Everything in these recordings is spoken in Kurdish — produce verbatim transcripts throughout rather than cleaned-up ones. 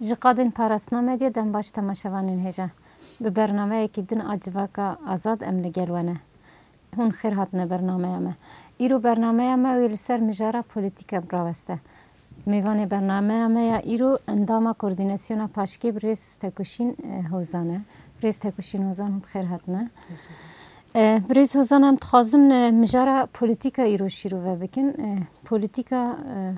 Ji qadên parastina medyê dem baş temaşevanên hêja. Bi bernameyekî din a Civaka Azad em li gel we ne. Hûn xêr hatine bernameya me. Îro bernameya me wê li ser mijara polîtîke biraweste. Mêvanê bernameya me ya îro endama Koordînasyona Paşkê birêz Tekuşîn, e, Hozan e. Birêz Tekuşîn Hozan, hûn bi xêr hatine. E, birêz Hozan, em dixwazin, e, mijara polîtîka îro şîrove bikin. E, polîtîka, e,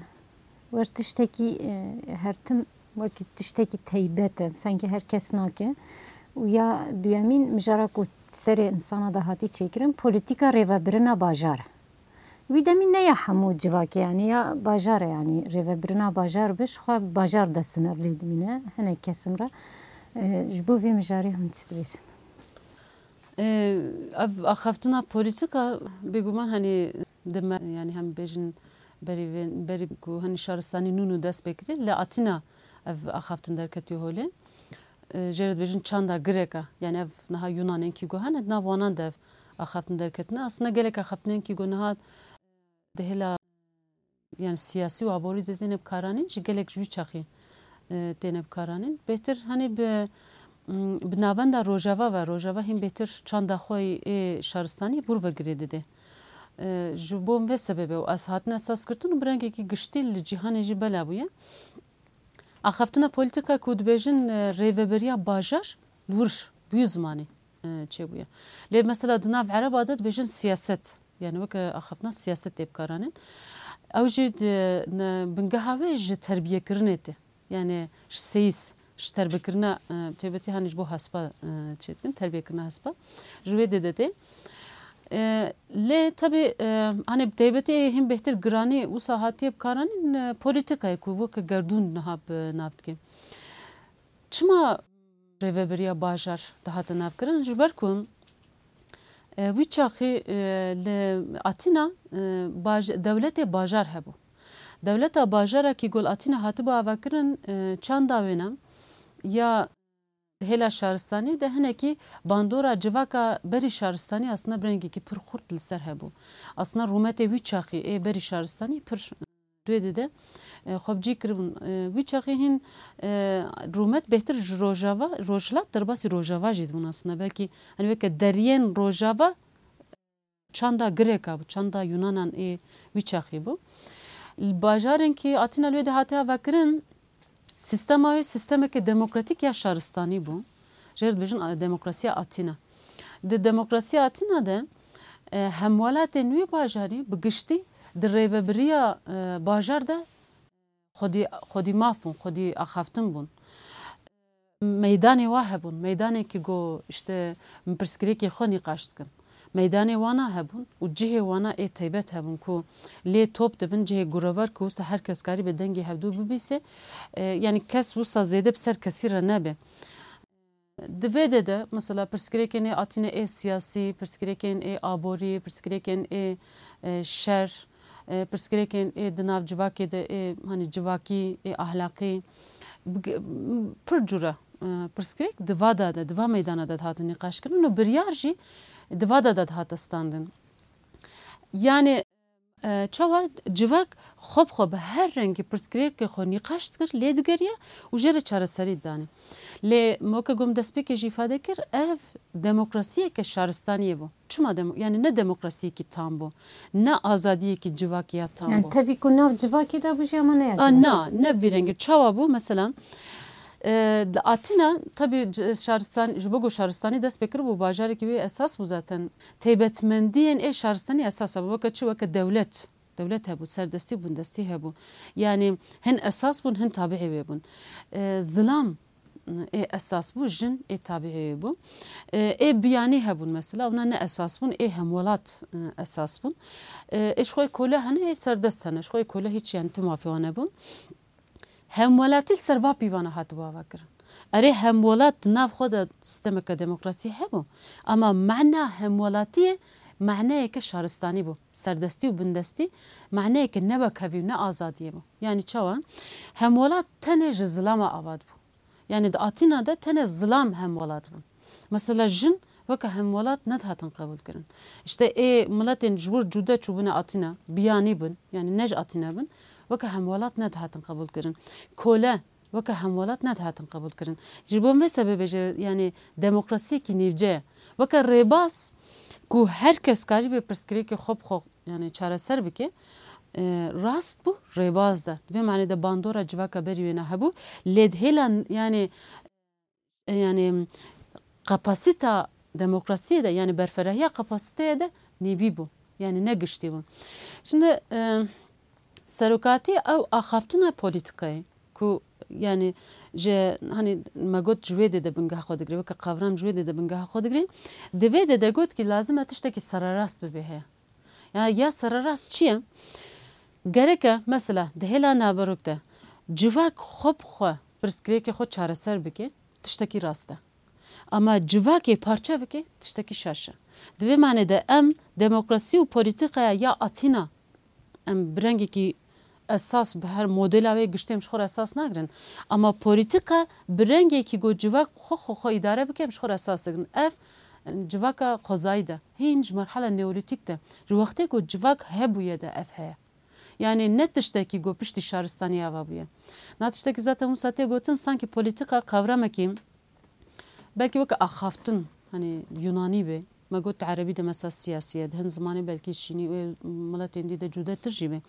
wer tiştekî, e, her tim wekî tiştekî teybet e, sengê her kes nake. Û ya duyemîn, mijara ku serê insana de hatî çêkirin, polîtîka rêvebirina bajar e. Wî demî ne ya hemû civakê, yanî ya bajar e, yanî rêvebirina bajar be, ji xwe bajar de sinev lê dimîne, hinek kesim re. E, ji bo vê mijarê hûn çi dibêjin? Ee, ev axaftina polîtîka bêguman, hani, di me, yani, hem bêjin berî vê, berî ku, hani, şaristanî nû nû dest pê kirî, li Atîna ev axaftin derketî holê. Ee, jê re dibêjin çanda Gireka, yani, ev niha Yunanên kî go hene, di nav wanan de ev axaftin derketine. Aslında gelek axaftinên kî go niha di hêla, yani, siyasî û aborî de têne bikaranîn, ji gelek ji wî çaxî, e, têne bikaranîn. Bêhtir, hani, bi, m, bi navenda Rojava ve, Rojava hîn bêhtir çanda xwe yê şaristanî bûr ve girê dide. E, ji bo vê sebebê û ez hatine esas girtin û bi rengekî giştî li cîhanê jî bela bûye. Axaftina polîtîka ku dibêjin, e, rêveberiya bajar, li wir bi wî zimanê, e, çêbûye. Lê mesela di nav ereba de dibêjin siyaset. Yani weke axaftina siyaset tê bikaranîn. Ew jî di, ne, bingeha wê ji terbiyekirinê tê. Yani ji seyîs, ji terbiyekirina, e, taybetî hani ji bo hespa, e, çê dikin, terbiyekirina hespa. Ji wê dê de tê. E, lê tabii, e, hani bi taybetî hîn bêhtir giranî wisa hatiye bikaranîn, e, polîtîkayê ku weke gerdûn niha bi nav dike. Çima rêvebiriya bajar dihate navkirin? Ji ber ku, e, wî çaxî, e, li Atîna, e, baj-, dewletê bajar hebû. Dewleta bajara kî gol Atîna hatibû avakirin, e, çanda wêne ya hêla şaristanî de hinekî bandora civaka berî şaristanî aslında bi rengekî pir xurt li ser hebû. Aslında rûmetê wî çaxî ê berî şaristanî pir duyê dide, e, xwe bi cî kiribûn. E, wî çaxî hîn, e, rûmet bêhtir ji Rojava, Rojhilat derbasî Rojava jî dibûn aslında. Belkî, hani, weke deriyên Rojava çanda Gireka bû, çanda Yunanan ê wî çaxî bû. Bajarên kî Atîna li wê de hate avakirin, sîstema wê sîstemeke demokratîk ya şaristanî bû. Jê re dibêjin, a, demokrasiya Atîna. Di demokrasiya Atîna de, e, hemwelatên wî bajarî bi giştî di rêvebiriya, e, bajar de xwedî, xwedî maf bûn, xwedî axaftin bûn. Meydanê wa hebûn, meydanekî go, işte, pirsgirêkê xwe nîqaş dikin. Meydanê wana hebûn û cihê wana ê taybet hebûn ku lê top dibin, cihê gurevar ku wisa her kes karî be dengê hevdû bibîse, e, yani kes wisa zêde bi ser kesî re nebe. Di vê de de, mesela, pirsgirêkên ê Atîne ê siyasî, pirsgirêkên ê aborî, pirsgirêkên ê, e, şer, e, pirsgirêkên ê di nav civakê de ê, hani, civakî, ê ahlaqî, bi-, pir cure, e, pirsgirêk di va de de, di va meydana de dihatin nîqaşkirin û biryar jî di va de de dihate standin. Yani, e, çawa civak xwe bi xwe bi her rengî pirsgirêkê xwe nîqaş dikir, lê digeriya û jê re çareserî didanê. Lê weke ku min destpêkê jî îfade kir, ev demokrasiyeke şaristaniyê bû. Çima demo-, yani ne demokrasiyekî tam bû, ne azadiyekî civakî ya tam Yani bû. Tevî ku nav civakê de bû jî ama ne ya A, civakê. Na, ne vî rengî. Çawa bû? Mesela, e, di Atîna, tabii, c-, şaristan-, ji bo ku şaristanî dest pê kiribû, bajarekî wê esas bû zaten. Taybetmendiyên ê şaristanî esas hebû. Weke çi? Weke dewlet. Dewlet hebû, serdestî û bindestî hebû. Yani hin esas bûn, hin tabiî wê bûn. E, zilam, ê esas bû, jin ê tabiî wê bû. E, ê biyanî hebûn mesela, wana ne esas bûn, ê hemwelat, e, esas bûn. E, ê ji xwe kole hene, ê serdest hene. Ji xwe kole hiç, yani, tu mafê wan nebûn. Hemwelatî li ser va pîvana hatibû avakirin. Erê, hemwelat di nav xwe de sîstemeke demokrasî hebû, ama mana hemwelatiyê maneyeke şaristanî bû. Serdestî û bindestî maneyeke ne wekhevî û ne azadiyê bû. Yani çawa? Hemwelat tenê ji zilama ava dibû. Yani di Atîna de tenê zilam hemwelat bûn. Mesela jin weke hemwelat nedihatin qebûlkirin. İşte ê miletên ji wir cude çûbûne Atîna, biyanî bin, yani ne ji Atîna bin, weke hemwelat nedihatin qebûlkirin. Kole, weke hemwelat nedihatin qebûlkirin. Ji bo vê sebebê jî, yanî demokrasiyekî nîvce ye. Weke rêbaz ku her kes karîbe pirsgirêkê xwe bi xwe, yanî çareser bike, e, rast bû, rêbaz de. Di vê manê de bandora civaka berî wêna hebû. Lê di hêla, yanî, e, yanî kapasîta demokrasiyê de, yanî berferahiya kapasiteyê de nîvî bû. Yanî ne giştî bû. Şimdi, e, serokatî ew axaftina polîtîkayê ku, yanî, ji, hanî me got, ji wê dê de bingeha xwe digire, weke qavram ji wê dê de bingeha xwe digire. Di vê dê de got ki lazim e tiştekî sererast bibe heye. Ya, ya sererast çi ye? Gereke, mesela, di hêla naverok de civak xwe bi xwe pirsgirêkê xwe çareser bike, tiştekî rast e. Ama civakê parçe bike, tiştekî şaş e. Di vê manê de em demokrasî û polîtîkaya ya Atîna, em bi rengekî esas, bi her modela wê giştê em ji xwe re esas nagirin. Ama polîtîka bi rengekî ku civak xwe, xwe, xwe îdare bike, em ji xwe re esas digirin. Ev, civaka xwezayî de, hîn ji merhela neolîtîk de, ji wextê ku civak hebûye de ev heye. Yanî ne tiştekî ku piştî şaristaniyê ava bûye. Na tiştekî zaten wisa tê gotin, sankî polîtîka qavramekî belkî weke axaftin, hanî Yunanî be. Me got di erebî de mesela siyasî ye, di hin zimanê belkî çînî û miletên dî de cudetir jî be.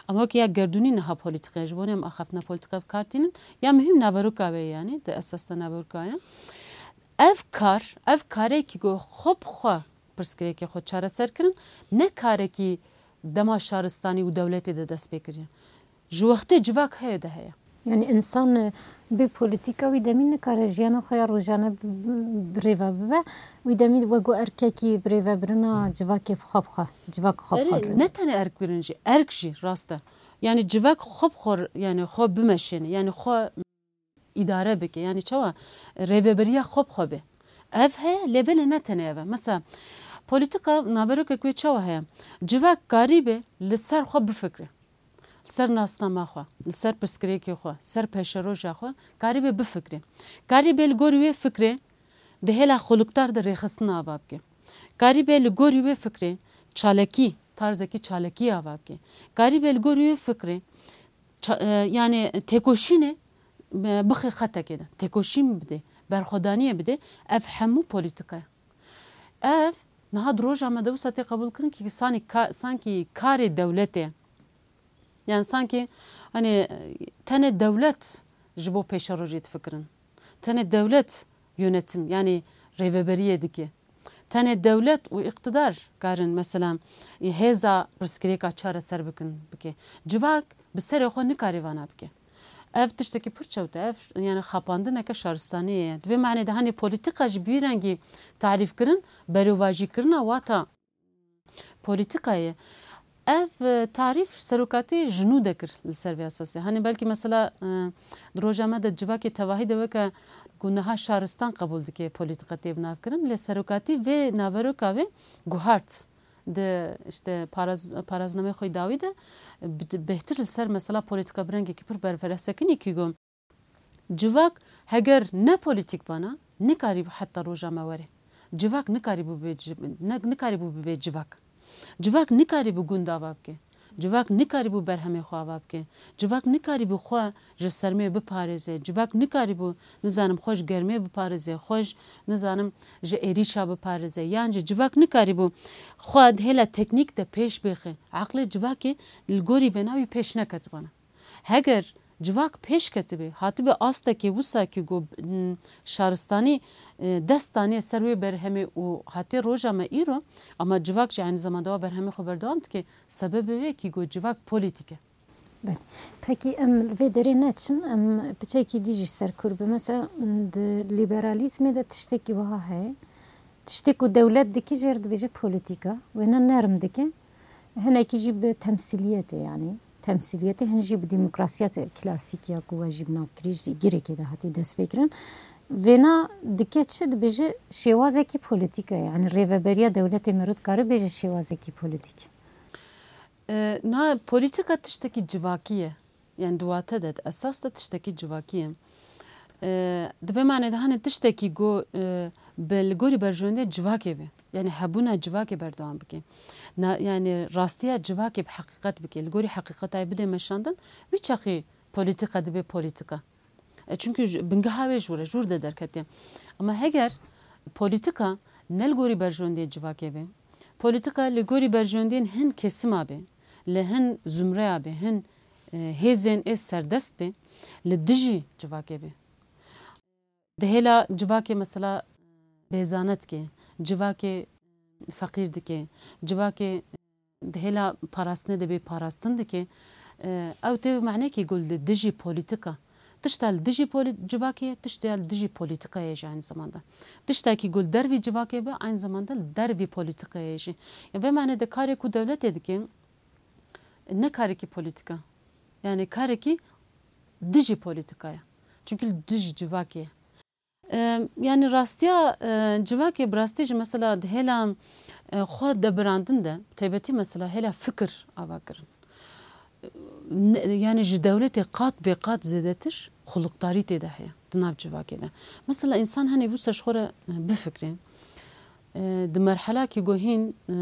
Ama weke ya gerdûnî niha polîtîka ye. Ji bo ne em axaftina polîtîka bi kar tînin. Ya muhîm naveroka wê ye, yanî di esas de naveroka ye. Ev kar, ev karekî ku xwe bi xwe pirsgirêkê xwe çareser kirin, ne karekî dema şaristanî û dewletê de dest pê kiriye. Ji wextê civak heye de heye. Yanî însan, e, bê polîtîka wî demî nikare jiyana xwe ya rojane bi, bi, bi rêve bibe. Wî demî wek ku erkekî bi rêvebirina civakê bi xwe bi xwe, civak xwe bi xwe Erê, dirêve. Ne tenê erkbirin jî, erk jî rast e. Yanî civak xwe bi xwe, yanî xwe bimeşêne, yanî xwe îdare bike. Yanî çawa? Rêveberiya xwe bi xwe be. Ev heye, lê belê ne tenê ev e. Mesela, polîtîka naverokek wê çawa heye? Civak karîbe li ser xwe bifikre. Li ser nasnama xwe, li ser pirsgirêkê xwe, ser pêşeroja xwe karîbe bifikre. Karîbe li gorî wê fikrê di hêla xuluktar de rêxistina ava bike. Karîbe li gorî wê fikrê çalakî, tarzekî çalakî ava bike. Karîbe li gorî wê fikrê ça-, e, yanî têkoşînê, e, bixe xetekê de, têkoşîn bide, berxwedaniyê bide, ev hemû polîtîka ye. Ev niha di roja me de wisa tê qebûlkirin ki sanî ka-, sankî karê dewletê. Yani sankî, hani, tenê dewlet ji bo pêşerojê difikirin. Tenê dewlet yönetim, yani rêveberiyê dike. Tenê dewlet û îqtidar karin, mesela, hêza pirsgirêka çareser bikin, bike. Civak bi serê xwe nikare vana bike. Ev tiştekî pir çewt e, ev, yani, xapandineke şaristaniyê ye. Di vê manê de, hani, polîtîka jî bi vî rengî tarîfkirin, berovajîkirina wata polîtîkayê. Ev, e, tarîf serokatî ji nû de kir li ser vê esasê. Hani belkî mesela, e, di roja me de civakê tevahî de weke ku niha şaristan qebûl dike polîtîka tê binavkirin, lê serokatî vê naveroka wê guhart di, işte, paraz-, paraznameyê xwe dawî de bi-, bêhtir li ser mesela polîtîka bi rengekî pir berfireh sekinî ki got, civak heger ne polîtîk bana, nikarîbû heta roja me were. Civak nikarîbû bibe ci-, ne-, nikarîbû bibe civak. Civak nikarîbû gund ava bike. Civak nikarîbû berhemê xwe ava bike. Civak nikarîbû xwe ji sermê biparêze. Civak nikarîbû, nizanim, xwe ji germê biparêze. Xwe ji, nizanim, ji êrîşa biparêze. Yan jî civak nikarîbû xwe di hêla teknîk de pêş bixe. Eqlê civakê li gorî vêna wî pêş neketibana. Heger civak pêş ketibe, hatibe astekê wisa ki ku, m, şaristanî, e, dest daniye ser wê berhemê û hatiye roja me îro, ama civak jî aynî zamanda wa berhemê xwe berdewam dike, sebebê wê ki ku civak polîtîk e. Belê. Pekî em li vê derê neçin, em piçekî dî jî ser kûr bin. Mesela, di lîberalîzmê de tiştekî wiha heye. Tiştê ku dewlet dike jê re dibêje polîtîka. Wêna nerm dike. Hinekî jî bi temsîliyetê, yanî temsîliyetê, hin jî bi demokrasiyet klasîk ya ku we jî bi nav kirî jî girêkê de hatî destpêkirin. Vêna dike çi? Dibêje şêwazekî polîtîk e. Yanî rêveberiya dewletê meriv dikare bêje şêwazekî polîtîk. E, niha polîtîka tiştekî civakî ye. Yani di wate de, di esas de tiştekî civakî ye. E, di vê manê de hani tiştekî ku, e, bi li gorî berjewendê civakê be. Yani hebûna civakê berdewam bike. Na, yani rastiya civakê bi heqîqet bike. Li gorî heqîqetayê bide meşandin, wî çaxî polîtîka dibe polîtîka. E, çünkü ji, bingeha wê ji wir e, ji wir de derketiye. Ama heger polîtîka ne li gorî berjewendiyê civakê be, polîtîka li gorî berjewendiyên hin kesima be, li hin zumreya be, hin, e, hêzên ê serdest be, li dijî civakê be. Di hêla civakê mesela bêzane dike, civakê feqîr dike, civakê di hêla parastinê de bê parastin dike, e, ew tê manekî ku li dijî polîtîka. Tişta li dijî polî-, civakê ye, tişta li dijî polîtîkayê jî aynı zamanda. Tiştekî ku li dervî civakê be, aynı zamanda li dervî polîtîkayê jî. Ya vê manê de karê ku dewletê dike, ne karekî polîtîk e. Yani karekî dijî polîtîka ye. Çünkü li dijî civakê ye. E, yani rastiya, e, civakê bi rastî jî mesela di hêla, e, xwe debirandin de, taybetî mesela hêla fikir ava kirin. Ne, yani ji dewletê qat bê qat zêdetir xulukdarî tê de heye di nav civakê de. Mesela însan henê wisa ji xwe re, e, bifikre. E, di merhelakî ku hîn, e,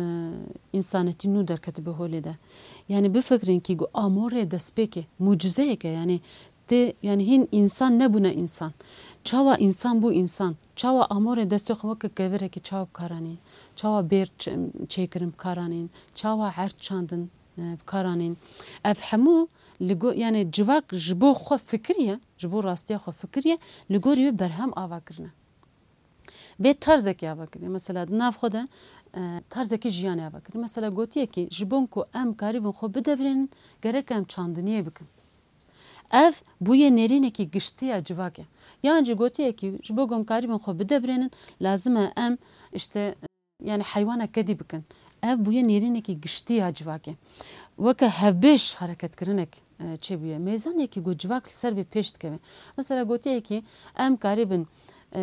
însanetî nû derketibe holê de. Yani bifikirin kî ku amorê destpêkê, mucizeyek e, yani tê, yani hîn însan nebûne însan. Çawa însan bû însan? Çawa amorê destê xwe weke kevirekî çawa bi kar anîn? Çawa bêr ç-, çêkirin bi kar anîn? Çawa erd çandin, e, bi kar anîn? Ev hemû li go-, yani civak ji bo xwe fikiriye, ji bo rastiya xwe fikiriye, li gorî wê berhem ava kirine. Vê tarzekî ava kirî. Mesela di nav xwe de, e, tarzekî jiyanê ava kirî. Mesela gotiye ki ji bo ku em karîbin xwe bidebirênin, gerek em çandiniyê bikin. Ev bûye nêrînekî giştî ya civakê. Yan jî gotiye ki ji bo ku em karîbin xwe bidebirênin, lazim e em işte, yani heywana kedî bikin. Ev bûye nêrînekî giştî ya civakê. Weke hevbêj hereketkirinek, e, çêbûye. Mêzanekî ku civak li ser vê pêş dikeve. Mesela gotiye ki em karîbin, e,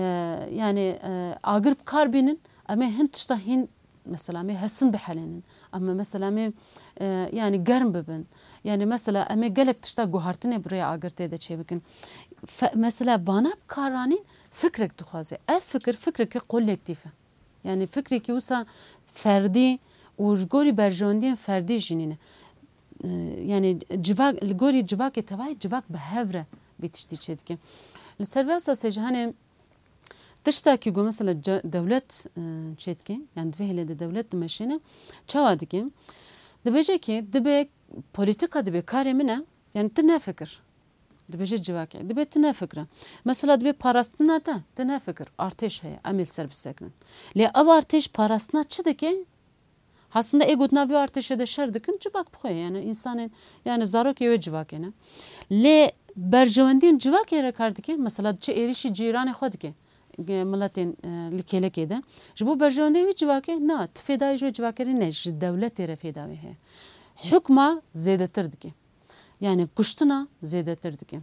yani, e, agir bi kar bînin, em ê hin tişta hîn, mesela em ê hesin bihelênin. Em ê mesela em ê, e, yani germ bibin. Yani mesela em ê gelek tişta guhartinê bi rêya agir tê de çêbikin. Fe-, mesela vana bi kar anîn fikrek dixwaze. Ev fikir, fikreke kolektîf e. Yani fikrekî wisa ferdî û ji gorî berjewendiyên ferdî jî nîne. Ee, yani civak, li gorî civakê tevayê civak bi hev re vê tiştî çêdike. Li ser vê esasê jî hani tiştekî ku mesela ce-, dewlet, e, çêdike, yani di vê hêlê de dewlet dimeşêne, çawa dike? Dibêje ki dibe polîtîka dibe karê min e, yani tu nefikir. Dibêje civakê. Dibe tu nefikire. Mesela dibe parastina te, tu nefikir. Artêş heye, em ê li ser bisekinin. Lê ev artêş parastina çi dike? Aslında ê gotina vê artêşê de şer dikin, civak bi xwe ye. Yani insanên, yani zarokê wê civakê ne. Lê berjewendiyên civakê re kar dike. Mesela diçe êrîşî cîranê xwe dike. Ge-, miletên, e, li kêlekê de. Ji bo berjewendiyê wê civakê, na, tu fêdayê ji wê civakê re ne, ji dewletê re fêda wê heye. Hukma zêdetir dike. Yani kuştina zêdetir dike.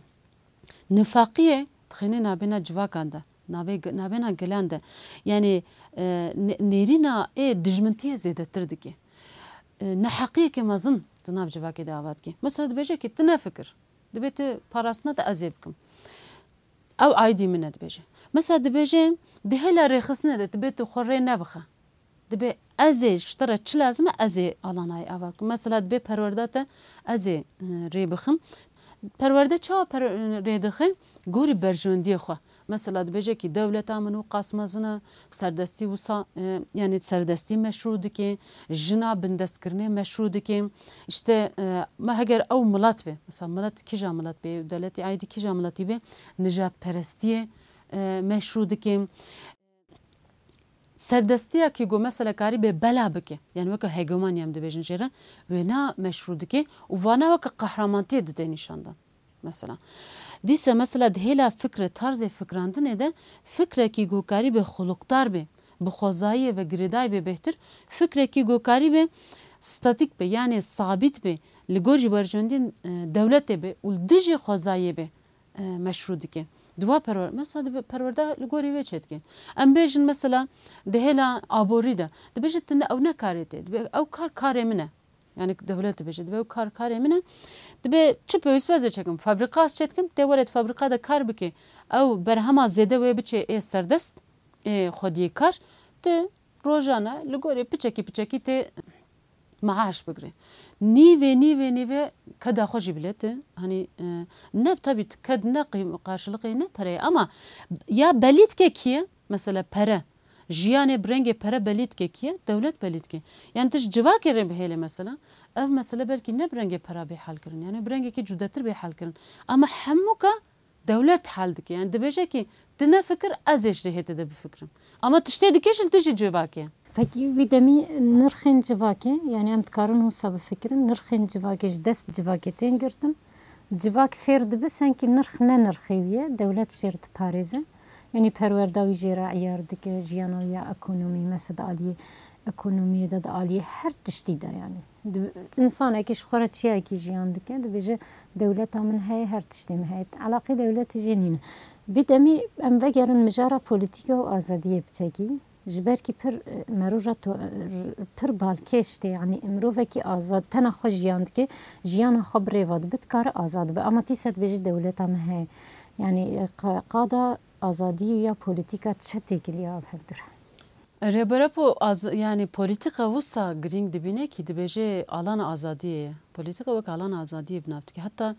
Nifaqiyê dixêne nabêna civakan de, nabê-, nabêna gelan de. Yani, e, ne-, nêrîna ê dijmintiyê zêdetir dike. E, neheqiyeke mezin di nav civakê de ava dike. Mesela dibêje ki tu nefikir. Dibê tu parastina te ez ê bikim. Ew aîdî min e dibêje. Mesela dibêje di hêla rêxistinê de dibê tu xwe rê nebixe. Dibê ez ê ji te re çi lazim e, ez ê alanayê ava bikim. Mesela dibê perwerda te ez ê, e, rê bixim. Perwerde çawa per-, rê dixe? Gorî berjewendiyê xwe. Mesela dibêje ki dewleta min û qas mezin e, serdestî wisa, e, yani serdestî meşrû dike, jina bindestkirinê meşrû dike. İşte, e, me heger ew milet be, mesela milet kîja milet be, dewletî aîdî kîja miletî be, nijadperestiyê, e, meşrû dike. Serdestiyekî ku mesela karî bê bela bike, yani weke hegemoniya em dibêjin jê re, wêna meşrû dike û vana weke qehramantiyê dide nîşandan. Mesela. Dîse mesela di hêla fikre, tarzê fikrandinê de fikrekî ku karî bê xulukdar bê, bi xwezayiyê ve girêdayî bê bêhtir, fikrekî ku karî bê statîk bê, yani sabît bê, li gor jî berjewendiyên, e, dewletê bê û li dijî xwezayiyê bê, e, meşrû dike. Di wa perwer-, mesela di perwerda li gorî wê çêdike. Em bêjin mesela di hêla aborî de. Dibêje tu ne, ew ne karê te. Dibê ew kar karê min e. Yani dewlet dibêje. Dibê ew kar karê min e. Dibê çi pêwîst be ez ê çêkim. Fabrîka ez çêdikim. Tê were di fabrîka de kar bike. Ew berhema zêde wê biçe ê serdest. Ê xwediyê kar. Tu rojane li gorî piçekî piçekî tê maaş bigire. Nîvê, nîvê, nîvê keda xwe jî bilêt e. Hani, e, ne, tabii ked ne qîm-, karşılıkê ne pereyê ama ya belî dike kî ye? Mesela pere. Jiyanê bi rengê pere belî dike kî ye? Dewlet belî dike. Yani tu ji civakê re bihêle mesela, ev mesele belkî ne bi rengê pera bê hal kirin. Yani bi rengekî cudetir bê hal kirin. Ama hemûka dewlet hal dike. Yani dibêje ki, tu nefikir, ez ê ji rihê te de bifikirim. Ama tiştê dike ji li dijî civakê. Pekî wî demî nirxên civakê, yani em dikarin wisa bifikirin, nirxên civakê ji dest civakê tên girtin. Civak fêr dibe, senkî nirx ne nirxê wî ye, dewlet jê re diparêze. Yanî perwerda wî jê re eyar dike, jiyana wî ya ekonomî, mesela di aliyê ekonomiyê de, di aliyê her tiştî de yani. Di, însanekî ji xwe re çiyayekî jiyan dike, dibêje, dewleta min heye, her tiştê min heye. Elaqê dewletê jê nîne. Bi demî em vegerin mijara polîtîka û azadiyê biçekî. Ji ber kî pir, e, merû re to-, e, pir balkêş tê, yanî mirovekî azad, tena xwe jiyan dike, jiyana xwe bi rê ve dibe, dikare azad be. Ama tîse dibêje dewleta min heye. Yanî, e, qa-, qada azadiyê ya polîtîka çi têkiliya ev hevdû re? Rêber Apo az-, yani polîtîka wisa girîng dibîne kî dibêje alana azadiyê ye. Polîtîka wek alana azadiyê bi nav dike. Heta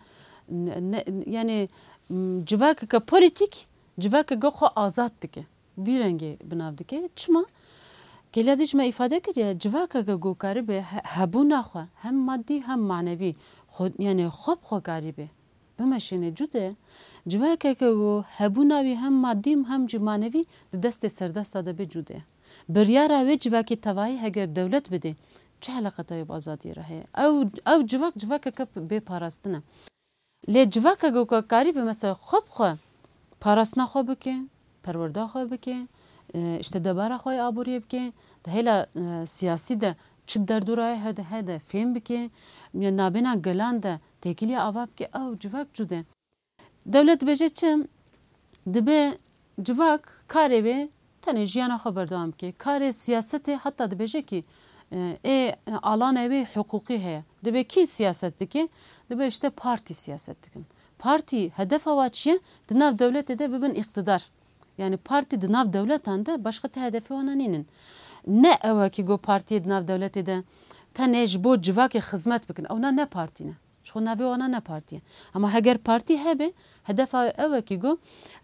ne, ne, yani, m, civakeke polîtîk, civakeke xwe azad dike. Vî rengê bi nav dike. Çima? Gelî dî ji me îfade kiriye, civakeke ku karibe he-, hebûna xwe hem madî hem manevî xwe, yani xwe bi xwe karibe bimeşêne cude, civakeke ku hebûna wî hem madî hem jî manevî di destê serdesta de bê cude. Biryara wê civakê tevayî heger dewlet bide, çi eleqeta wê bi azadiyê re heye? Ew, ew civak, civakeke bê parastin e. Lê civakeke ku karibe mesela xwe bi xwe parastina xwe bike, perwerda xwe bike, e, işte debara xwe ya aboriyê bike, di hêla, e, siyasî de çi derdora ye hede, hede fêm bike, ya nabêna gelan de têkiliya ava bike, ew civak cude. Dewlet dibêje çi? Dibe civak karê wê tenê jiyana xwe berdewam bike. Karê siyasetê heta dibêje kî, e, ê, alanê wê hiqûqî heye. Dibe kî siyaset dike? Dibe işte partî siyaset dikin. Partî hedefa wa çi ye? Di nav dewletê de bibin îqtidar. Yani partî di nav dewletan de başqa ti hedefê wana nînin. Ne ew e kî go partiyê di nav dewletê de tenê ji bo civakê xizmet bikin. Ewna ne partî ne. Ji xwe navê wana ne partî ye. Ama heger partî hebe, hedefa ew e kî go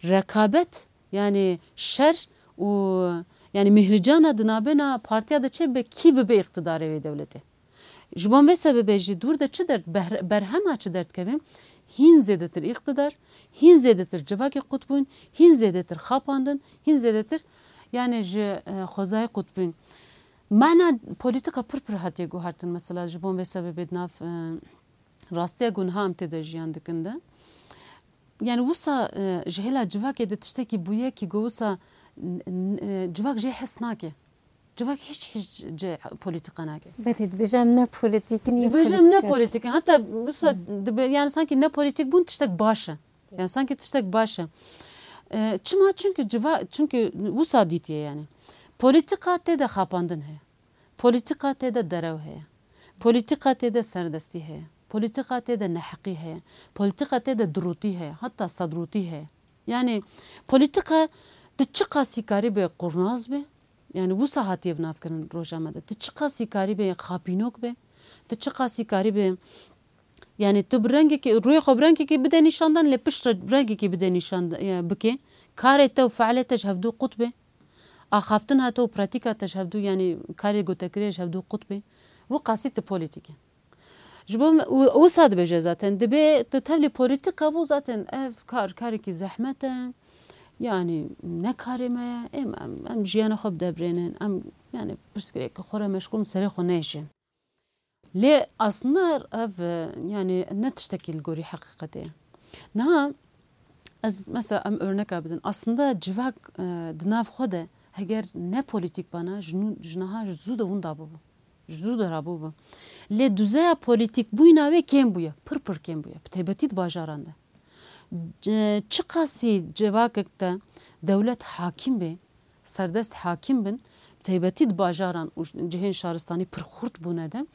rekabet, yani şer û yani mihricana di nabêna partiya de çêbibe, kî bibe îqtidarê wê dewletê. Ji bo vê sebebê jî dûr de çi derd, behr-, berhema çi derdikeve? Hîn zêdetir îqtidar, hîn zêdetir civakê qutbûn, hîn zêdetir xapandin, hîn zêdetir yani ji, e, xwezayê qutbûn. Mana polîtîka pir pir hatiye guhertin mesela ji bo vê sebebê di nav, e, rastiya ku niha em tê de jiyan dikin de. Yani wisa, e, ji hêla civakê de tiştekî bûye kî go wisa n-, n-, e, civak jê hes nake. Civak hiç, hiç cê polîtîka nake. Belê, dibêje em ne polîtîk in, Dibêje em ne polîtîk in. Heta wisa dibe, yani sanki ne polîtîk bûn tiştek baş e. Yani sanki tiştek baş e. E, çima? Çünkü civa-, çünkü wisa dîtiye yani. Polîtîka tê de xapandin heye. Polîtîka tê de derew heye. Polîtîka tê de serdestî heye. Polîtîka tê de neheqî heye. Polîtîka tê de dirûtî heye. Heta sedrûtî heye. Yani polîtîka tu çiqasî karî be qurnaz be, yani wisa hatiye binavkirin roja me de. Tu çiqasî karî be xapînok be, tu çiqasî karî be, yani tu bi rengekî, rûyê xwe bi rengekî bide nîşandan, lê piştre bi rengekî bide nîşan, e, bike. Karê te û fealê te ji hevdû qut be. Axaftina te û pratîka te ji hevdû, yanî karê gotekirê ji hevdû qut bê. Wî qasî tu polîtîk e. Ji bo me, û, wisa dibêje zaten, dibê tu tevlî polîtîka bû zaten ev kar, karekî zehmet e. Yanî ne karê me ye, em, em, em jiyana xwe bidebrênin, em, yanî pirsgirêkê xwe re meşgûl in, serê xwe nêşên. Lê aslında ev, e, yani ne tiştekî li gorî heqîqetê ye. Niha ez mesela em örneka bidin. Aslında civak, e, di nav xwe de heger ne polîtîk bana, ji nû, ji niha ji zû de winda bûbû. Ji zû de rabûbû. Lê duzeya polîtîk bûyîna wê kêm bûye. Pir pir kêm bûye. Bi taybetî di bajaran de. C-, çiqasî civakek de dewlet hakim bê, serdest hakim bin, bi taybetî di bajaran û cihên şaristanî pir xurt bûne de,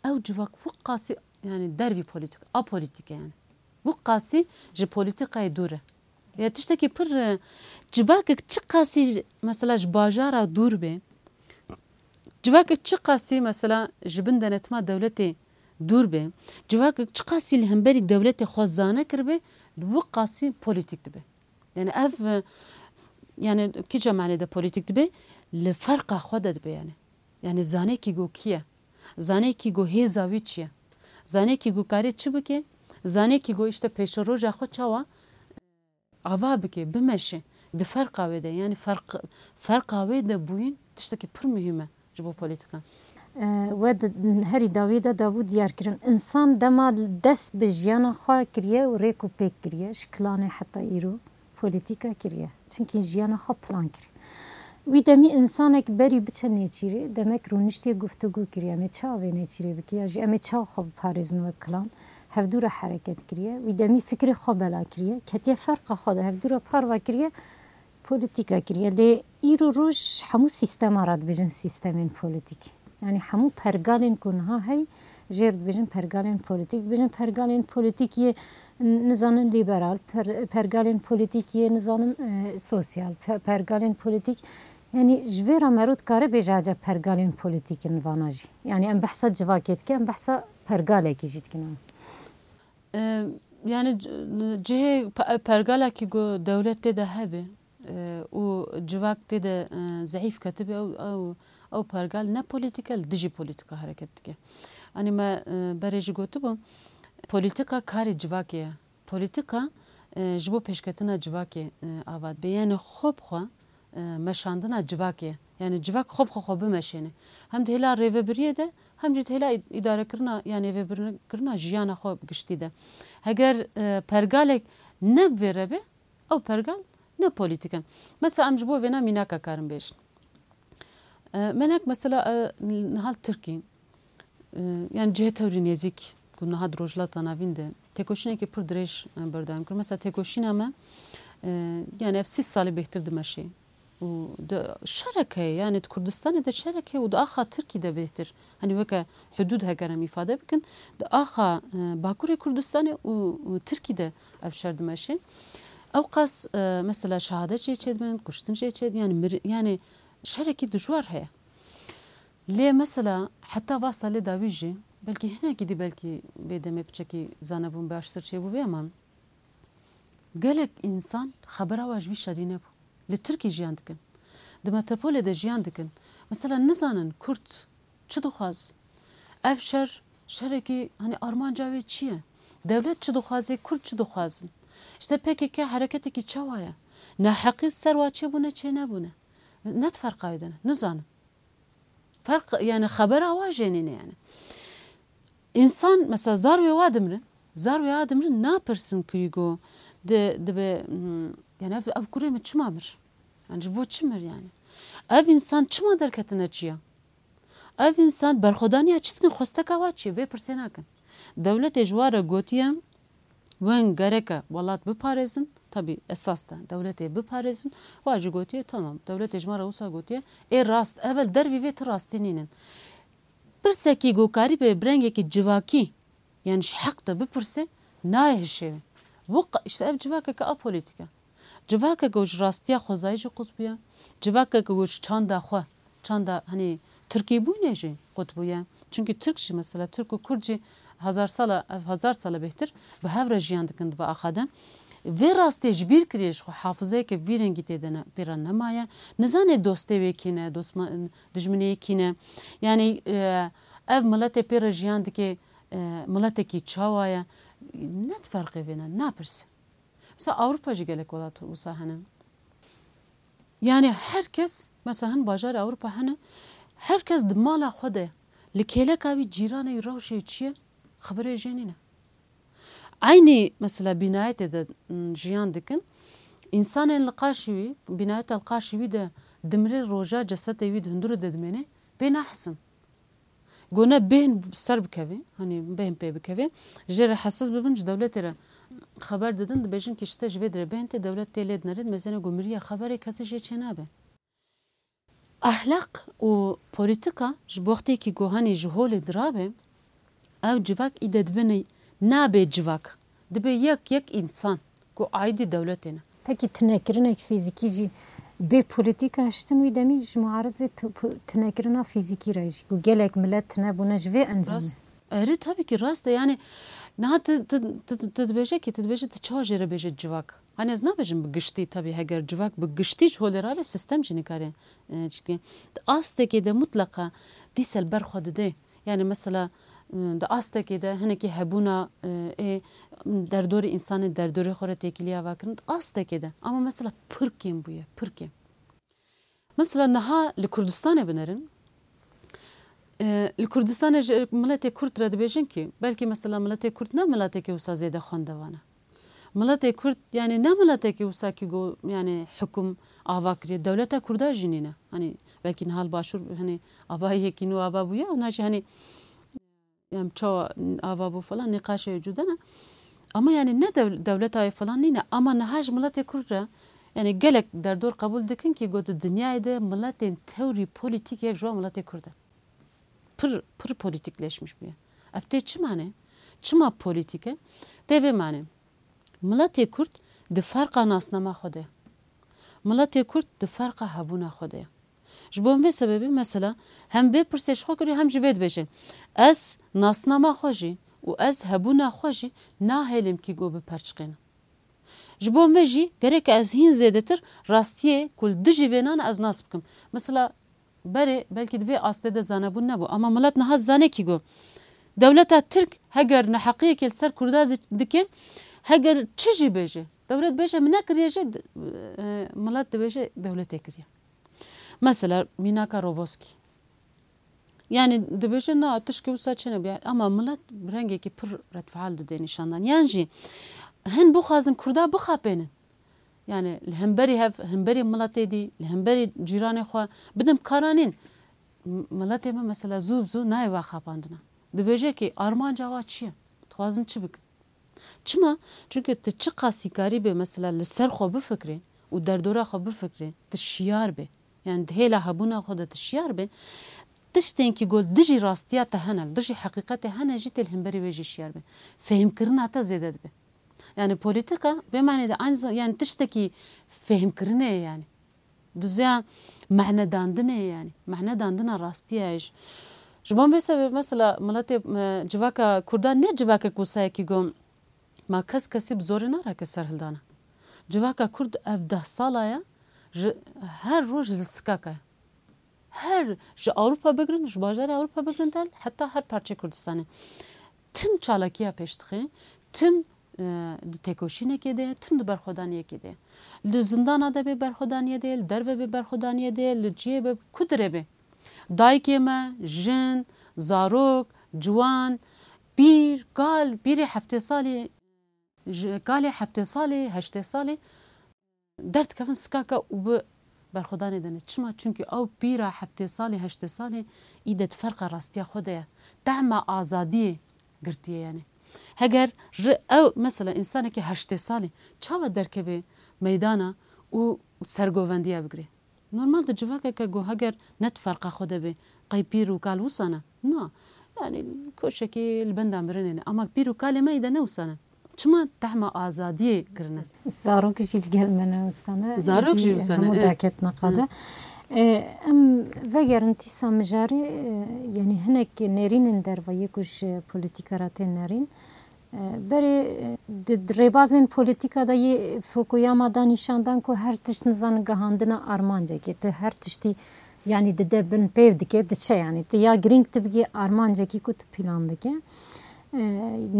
ew civak wek qasî, yani dervî polîtîk, apolitîk e yani. Wek qasî ji polîtîkayê dûr e. Ya tiştekî pir, e, civakek çi qasî mesela ji bajara dûr be, Civakek çiqasî mesela ji bin denetima dewletê dûr be, civakek çiqasî li hemberî dewletê xwe zane kiribe, wi qasî polîtîk dibe. Yani ev, e, yani kîja manê de polîtîk dibe? Li ferqa xwe de dibe yani. Yani zanekî go kî ye? Zanekî go hêza wî çi ye? Zanekî go karê çi bike? Zanekî go işte pêşeroja xwe çawa ava bike, bimeşe. Di ferqa wê de, yani ferq-, ferqa wê de bûyîn tiştekî pir muhîm e ji bo polîtîkan. E, we di herî dawî de dabû diyar kirin. Însan dema dest bi jiyana xwe kiriye û rêk û pêk kiriye, ji kilanê heta îro polîtîka kiriye. Çimkî jiyana xwe plan kiriye. Wî demî însanek berî biçe nêçîrê, demek rûniştiye guftûgû kiriye. Em ê çawa vê nêçîrê bike? Ya jî em ê çawa xwe biparêzin wek kilan? Hevdû re hereket kiriye. Wî demî fikrê xwe bela kiriye. Ketiye ferqa xwe de, hevdû re parva kiriye. Polîtîka kiriye. Lê îro roj hemû sîstema re dibêjin sîstemên polîtîk. Yani hemû pergalên ku niha hey, jêr dibêjin pergalên polîtîk. Dibêjin pergalên polîtîk yê, n-, nizanim, lîberal, per-, pergalên polîtîk yê, nizanim, e, sosyal, pe-, pergalên polîtîk. Yani ji vê re mero dikare bêje ece pergalên polîtîk in vana jî. Yani em behsa civakê dikin, em behsa pergalekî jî dikin. E, yani c-, cihê pe-, pergalekî ku dewlet tê de hebe, e, û civak tê de, e, zeîf ketibe, ew, ew, ew pergal ne polîtîk e, li dijî polîtîka hereket dike. Anî me, e, berê jî gotibû, polîtîka karê civakê ye. Polîtîka, e, ji bo pêşketina civakê, e, ava dibe. Yani xwe bi xwe, e, meşandina civakê ye. Yani civak xwe bi xwe xwe bimeşêne. Hem di hêla rêvebiriyê de, hem jî di hêla îd-, îdarekirina, yani rêvebirkirina jiyana xwe bi giştî de. Heger, e, pergalek ne bi vê re be, ew pergal ne polîtîk e. Mesela em ji bo vêna mînaka karin bêjin. E, menek mesela, e, niha li Tirkî, e, yani cihê tewrî nêzîk ku niha di Rojhilata Navîn de têkoşînekî pir dirêj, e, berdewam kir. Mesela têkoşîna me, e, yani ev sî salî bêhtir dimeşê. Û di şerek heye, yani di Kurdistanê de şerek heye û di axa Tirkî de bêhtir. Hani weke hudûd heger em îfade bikin, di axa, e, Bakurê Kurdistanê û, û Tirkî de ev şer dimeşê. Ew qas, e, mesela şehadet jê çêdibin, kuştin jê çêdibin, yani mir-, yani şerekî dijwar heye. Lê mesela heta va salê dawî jî, belkî hinekî dî, belkî vê demê piçekî zanebûn baştir çêbûbê, ama gelek însan xebera wa ji vî şerî nebû. Li Tirkî jiyan dikin. Di metropolê de jiyan dikin. Mesela nizanin Kurd çi dixwaz? Ev şer, şerekî, hani armanca wê çi ye? Dewlet çi dixwaze, Kurd çi dixwazin? İşte P K K hereketekî çawa ye? Neheqî ser wa çêbûne, çê nebûne? Ne di ferqa wê de ne, nizanim. Ferq, yani xebera wa jê nîne yani. Însan mesela zar wê wa dimrin, zar wê wa dimrin, napirsin ku go di, dibe, hmm, yani ev, ev kurê min çima mir? Yani ji bo çi mir yani? Ev însan çima derketine çiya? Ev însan berxwedaniya çi dikin, xwesteka wa çi ye? Vê pirsê nakin. Dewletê ji wa re gotiye, wên gereke welat biparêzin, tabî esas de dewletê biparêzin, wa jî gotiye, tamam, dewletê ji me re wisa gotiye, ê rast, evel dervî vê ti rastî nînin. Pirsekî ku karîbe bi rengekî civakî, yani ji heq de bipirse, nayê hişê wê. Bu qa-, işte ev civakeke apolitîk e. Civakeke ku ji rastiya xwezayî jî qut bûye. Civakeke ku ji çanda xwe, çanda, hani, tirkîbûnê jî qut bûye. Çunkî tirk jî mesela, tirk û kurd jî hezar sala, ev hezar sala bêhtir bi hev re jiyan dikin di vê axa de. Vê rastiyê ji bîr kiriye ji xwe, hafizeyeke vî rengî tê de ne, pê re nemaye. Nizane dostê wê kî ne, dosma-, dijminê yê kî ne. Yani, e, ev miletê pê re jiyan dike, e, miletekî çawa ye? Ne di ferqê vê ne, napirse. Mesela Ewropa jî gelek welat wisa hene. Yani her kes, mesela hin bajarê Ewropa hene, her kes di mala xwe de, li kêleka wî, cîranê wî, rewşê wî çi ye, xeberê jê nîne. Eynî mesela bînayetê de, m, jiyan dikin. Însanên li qaşî wî, bînayeta li qaşî wî de dimrê, roja cesetê wî di hundirê de dimêne, pê nahisin. Go ne bêhn ser bikeve, hani bêhn pê bikeve, jê re hesiz bibin, ji dewletê re xeber didin, dibêjin ki işte ji vê dirê bêhn tê, dewlet tê lê dinere, mezêne go miriye, xeberê kesî jê çênabe. Ahlaq û polîtîka ji bo wextê ki go hani ji holê dirabe, ew civak îde dibe ne-, nabe civak, dibe yek yek însan ku aîdî dewletê ne. Pekî tunekirinek fîzîkî jî Bê polîtîka hiştin wî demî ji muarizê p-, p-, tunekirina fîzîkî re jî ku gelek milet tune bûne ji vê encamê. Rast. Erê, tabii ki rast e. Yani niha tu, tu, tu, tu dibêje ki, tu dibêje tu çawa jê re bêje civak. Hani ez nabêjim bi giştî, tabii heger civak bi giştî ji holê rabe, sistem jî nikare, e, çi bike. Di astekê de mutleqa dîsel ber xwe dide. Yani mesela, m, di astekê de hinekî hebûna, e, ê, m, derdorê, însanê derdorê xwe re têkilî ava kirin, di astekê de. Ama mesela pir kêm bûye, pir kêm. Mesela niha li Kurdistanê binerin. E, li Kurdistanê ji miletê Kurd re dibêjin ki, belkî mesela miletê Kurd ne miletekê wisa zêde xwendevan e. Miletê Kurd, yani ne miletekê wisa ki go, yani hukum ava kiriye. Dewleta Kurda jî nîne. Hani belkî niha li Başûr, hani ava yekî nû ava bûye, ona jî hani em çawa ava bû falan, nîqaşê cuda ne. Ama yani ne dew-, dewleta wê falan nîne. Ama niha ji miletê Kurd re, yani gelek derdor qebûl dikin ki got, di dinyayê de miletên tewrî polîtîk yek ji wan miletê Kurd e. Pir, pir polîtîkleşmiş bûye. Ev tê çima ne? Çima polîtîk e? Tê vê manê. Miletê Kurd di ferqa nasnama xwe de ye. Miletê Kurd di ferqa hebûna xwe de ye. Ji bo vê sebebê mesela hem vê pirsê ji xwe kiriye hem jî vê dibêje, ez nasnama xwe jî û ez hebûna xwe jî nahêlim kî go biperçiqêne. Ji bo vê jî gerek ez hîn zêdetir rastiyê ku li dijî vênan e ez nas bikim. Mesela berê belkî di vê astê de zanebûn nebû, ama milet niha zane kî go dewleta Tirk heger neheqiyekê li ser Kurda di-, dike, heger çi jî bêje, dewlet bêje min nekiriye jî, d-, e, milet dibêje dewletê kiriye. Mesela mînaka Roboskî. Yani dibêje na tişkî wisa çênebûye. Ama milet rengekî pir redfeal dide nîşandan. Yan jî hin bixwazin Kurda bixapênin. Yani li hemberî hev, hemberî miletê dî, li hemberî cîranê xwe bidin karanîn. M-, miletê me mesela zû bi zû nayê va xapandina. Dibêje ki armanca wa çi ye? Dixwazin çi bikin? Çima? Çünkü tu çiqasî karî bê mesela li ser xwe bifikirê û derdora xwe bifikirê, tu şiyar bê. Yani di hêla hebûna xwe de tu şiyar bê. Tiştên ki go dijî rastiya te hene, dijî heqîqetê hene jî tê li hemberî wê jî şiyar bê. Fehmkirina te zêde dibe. Yani polîtîka vê manê de aynı zam-, yani tiştekî fehmkirinê ye yani. Duzeya manedandinê ye yani. Manedandina rastiya ye jî. Ji bo vê sebebê mesela miletê, e, civaka Kurdan ne civakek wisa ye ki go ma kes kesî bi zorê narake serhildana. Civaka Kurd ev deh sala ye, ji her roj li sikaka ye. Her ji Ewropa bigirin, ji bajarê Ewropa bigirin de heta her parçeyê Kurdistanê. Tim çalakiya pêş dixe, tim, e, di têkoşînekê de ye, tim di berxwedaniyekê de ye. Li zindana de bê berxwedaniyê de ye, li derve bê berxwedaniyê de ye, li ciyê be ku dire be. Dayikê me, jin, zarok, ciwan, pîr, kal, pîrê heftê salî, ji kalê heftê salî, heştê salî derdikevin sikaka û bi berxwedanê de ne. Çima? Çünkü ew pîra heftê salî, heştê salî î de di ferqa rastiya xwe de ye. Tehma azadiyê girtiye yani. Heger ri-, ew mesela însanekî heştê salî çawa derkeve meydana û sergovendiya bigire? Normal di civakeke ku heger ne di ferqa xwe de be, qey pîr û kal wisa ne? Na. Yani koşekî li benda mirinê ne. Ama pîr û kalê me î de ne wisa ne. Çima? Tehma azadiyê kirine. Zarok jî li gel me ne wisa ne. Zarok jî wisa ne, hemû e. Daketina qade. E, em vegerin tîsa mijarê, e, yani hinek nêrînên derve yê ku ji polîtîka re tên nerîn. E, berê, e, di, di rêbazên polîtîka de yê Fukuyama da nîşan dan ku her tişt nizan gihandina armancekê. Tu her tiştî, yani dide bin pêv dike, diçe yani. Tu ya girîng tu bigî armancekî ku tu plan dike. E,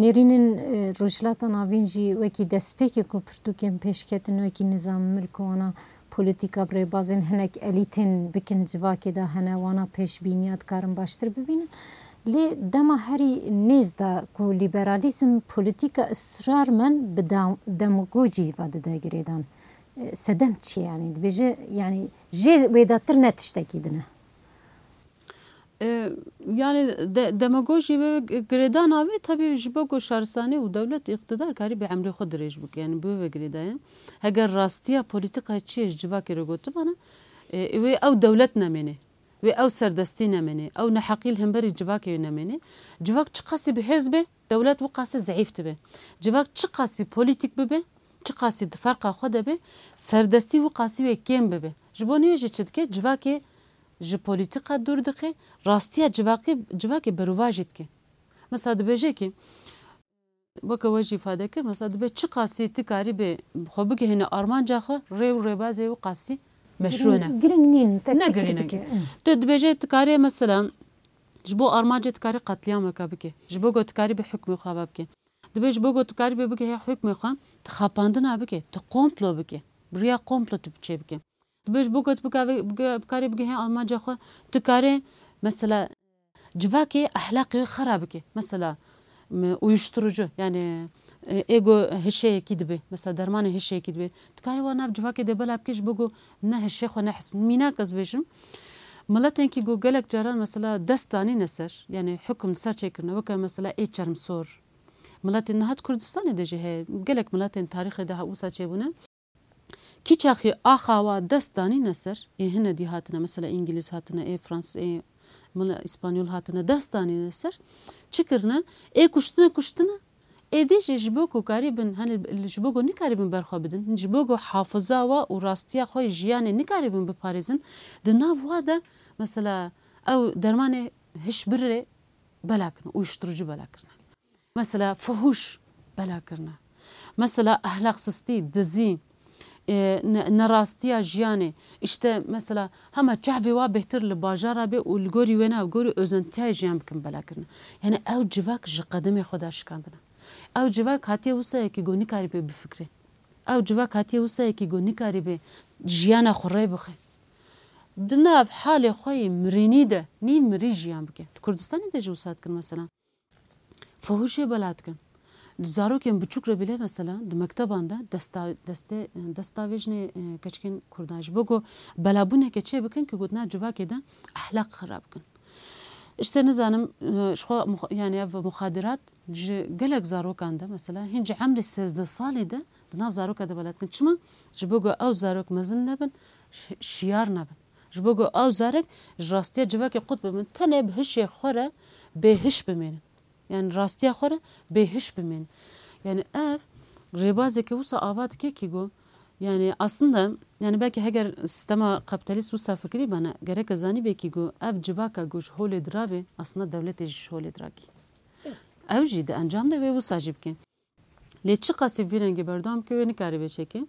nêrînên, e, Rojhilata Navîn jî wekî destpêkê ku pirtûkên pêşketin wekî Nizam Milk û wana polîtîka bi rêbazên hinek elîtên bikin civakê de hene, wana pêşbîniya dikarin baştir bibînin. Lê dema herî nêz de ku lîberalîzm polîtîka israrmen bi da-, demagojî ve dide girêdan. E, sedem çi ye yani? Dibêje yani jê wêdatir ne tiştekî din e. E, yani de-, demagojî ve girêdana wê tabii ji bo ku şaristanî û dewlet îqtidar karî bi emrê xwe dirêj bike. Yani bi wê ve girêdaye. Heger rastiya polîtîka çi ye ji civakê re gotibana, e, wê ew dewlet nemêne. Wê ew serdestî nemêne, ew neheqî li hemberî civakê wê nemêne. Civak çiqasî bi hêz be, dewlet wiqasî zeîf dibe. Civak çiqasî polîtîk bibe, çiqasî di ferqa xwe de be, serdestî wiqasî wê kêm bibe. Ji bo nê jî çi dike? Civakê ji polîtîka dûr dixê, rastiya civakê, civakê berovajî dike. Mesela dibêje ki, weke we jî îfade kir, mesela dibe çi qasî tu karî bê xwe bigihîne armanca xwe, rê û rêbazê wî qasî meşrû ne. Giring, giring nîn, te Ne çi kir girîne. bike? Tu dibêje tu karê mesela ji bo armancê tu karî qetlîyameke bike. Ji bo ku tu karî bê hukmê xwe ava bike. Dibe ji bo ku tu karî bê bigihê hukmê xwe, tu xapandina bike, tu komplo bike. Bi riya komplo tu çê bike. Dibe ji bo ku tu bikave-, bige-, bikarî bigihê armanca xwe, tu karê mesela civakê ehlaqê wê xera bike. Mesela, m-, uyuşturucu, yani, e, ê ku hişeyekî dibe, mesela dermanê hişeyekî dibe. Tu karê wan nav civakê de bela bike ji bo ku ne hişê xwe nehis. Mînak ez bêjim, miletên kî ku gelek caran mesela dest danîne ser, yani hukm li ser çêkirine, weke mesela ê çermsor. Miletên niha di Kurdistanê de jî heye, gelek miletên tarîxê de ha wisa çêbûne. Kî çaxî axa wa dest danîne ser, ê hine dî hatine, mesela Îngilîz hatine, ê Fransîz, ê mila Îspanyol hatine, dest danîne ser, çi kirine? Ê kuştine, kuştine. Êdî jî ji bo ku karîbin, hani ji bo ku nikarîbin berxwe bidin, ji bo ku hafiza wa û rastiya xwe yê jiyanê nikarîbin biparêzin, di nav wa de, mesela ew dermanê hişbirê bela kirine, uyuşturucu bela kirine. Mesela fuhûş bela kirine. Mesela ehlaqsiztî, dizî, e, ne-, nerastiya jiyanê. Îşte mesela hema çavê wa bêhtir li bajara bê û li gorî wêna, gorî ozentiyayê jiyan bikin bela kirine. Yani ew civak ji qedimê xwe de şikandine. Ew civak hatiye wisa yekî ku nikarî bê bifikre. Ew civak hatiye wisa yekî ku nikarî bê jiyana xwe rê bixe. Di nav halê xwe yê mirînî de nî mirî jiyan bike. Di Kurdistanê de jî wisa dikin mesela. Fuhuşê bela dikin. Di zarokên biçûk re bîle mesela di mekteban de desta-, destê-, destavêjinê, e, keçikên Kurdan ji bo ku belabûneke çê bikin ku di nav civakê de ehlaq xirab bikin. Îşte nizanim, e, ji xwe mux-, yani ev muxadirat ji gelek zarokan de mesela hîn ji emrê sêzdeh salî de di nav zaroka de bela dikin. Çima? Ji bo ku ew zarok mezin nebin, şi-, şiyar nebin. Ji bo ku ew zarek ji rastiya civakê qut bibin, tenê bi hişê xwe re bêhiş bimênin. Yani rastiya xwe re bêhiş bimênin. Yani ev rêbazeke wisa ava dike ki ku, yani aslında, yani belkî heger sistema kapitalîst wisa fikirî bana, gereke zanî be ki ku ev civaka ku ji holê dirabê, aslında dewletê jî ji holê dirakî. Ew jî di encam de wê wisa jî bike. Lê çiqasî vî rengî berdewam ke wê nikarî vê çêke.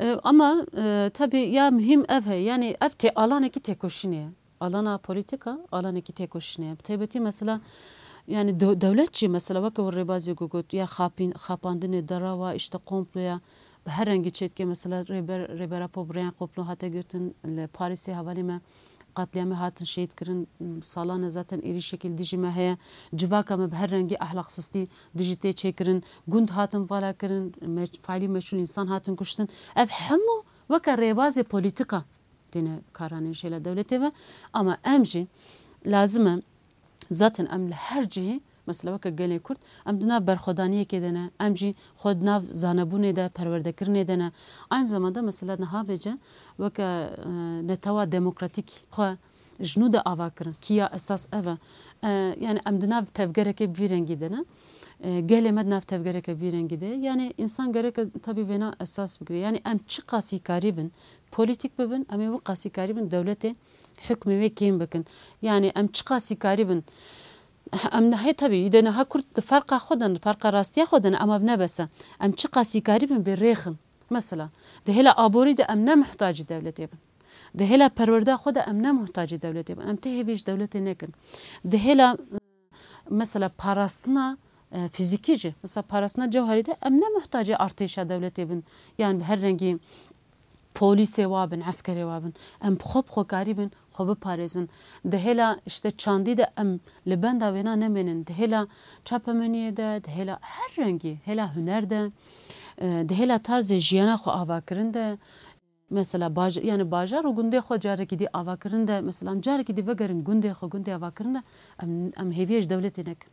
E, ama, e, tabii ya muhîm ev heye, yani ev tê-, alanekî têkoşînê ye. Alana polîtîka, alanekî têkoşînê ye. Bi taybetî mesela, yani dew-, dewlet jî mesela weke wir rêbazê ku got, ya xapîn-, xapandinê dera wa, îşte komploya, bi her rengî çêdike mesela rêber, rêbera Pobriyan komplo hate girtin, li Parîsê hevalê me qetlîamê hatin şehîd kirin, salan e zaten êrîşekî li dijî me heye. Civaka me bi her rengî ehlaqsiztî dijî tê çêkirin. Gund hatin vala kirin, me-, faîlî meçhûl însan hatin kuştin. Ev hemû weke rêbazê polîtîka têne karanên jêla dewletê ve. Ama em jî lazim e zaten em li her cihê, mesela weke gelê Kurd, em di nav berxwedaniyekê de ne, em jî xwe di nav zanebûnê de, perwerdekirinê de ne. Aynı zamanda mesela niha vêce weke, e, netewa demokratîk xwe ji nû de ava kirin. Kiya esas ev e. E, yani em di nav tevgereke vî rengî de ne. E, gelê me di nav tevgereke vî rengî de ye. Yani însan gereke tabî vêna esas bigire. Yani em çiqasî karîbin polîtîk bibin, em ê wî qasî karîbin dewletê hukmê wê kêm bikin. Yani em çiqasî karîbin, em niha tabî, îde niha Kurd di ferqa xwe de ne, di ferqa rastiya xwe de ne, ama ne bes e. Em çiqasî karîbin bê rêxin. Mesela, di hêla aborî de em ne muhtacî dewletê bin. Di hêla perwerda xwe de em ne muhtacî dewletê bin. Em tê hêvî ji dewletê nekin. Di hêla, mesela, parastina, e, fîzîkî jî, mesela, parastina cewherî de em ne muhtacê artêşa dewletê bin. Yan bi her rengî polîsê wa bin, eskerê wa bin. Em bi xwe bi xwe karî bin, xwe biparêzin. Di hêla, işte, çandî de em li benda wêna nemênin. Di hêla çapemeniyê de, di hêla her rengî, hêla huner de, e, di hêla tarzê jiyana xwe avakirin de, mesela baj-, yani bajar û gundê xwe carekî dî avakirin de, mesela em carekî dî vegerin gundê xwe, gundê avakirin de, em, em hêviyê ji dewletê nekin.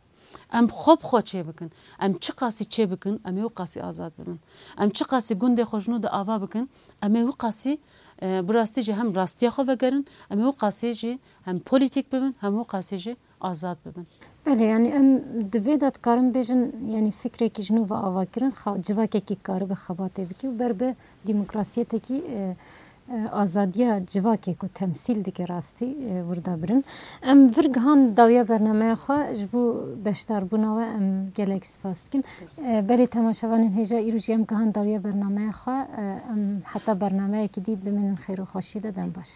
Em xwe bi xwe çê bikin. Em çi qasî çê bikin, em ê wî qasî azad bibin. Em çi qasî gundê xwe ji nû de ava bikin, em ê wî qasî, e, bi rastî jî hem rastiya xwe vegerin, em ê wî qasî jî hem polîtîk bibin, hem wî qasî jî azad bibin. Belê, yani em di vê de dikarin bêjin, yani fikrekî ji nû ve ava kirin, xa-, civakekî karibe xebatê bike û ber bi demokrasiyetekî, e, e, azadiya civakê ku temsîl dike rastî, e, wirda birin. Em vir gihan dawiya bernameya xwe, ji bo beşdarbûna we em gelek spas dikin. E, belê temaşevanên hêja, îro jî em gihan dawiya bernameya xwe, e, em heta bernameyekî dî bimînin xêr û xweşî de, dem baş.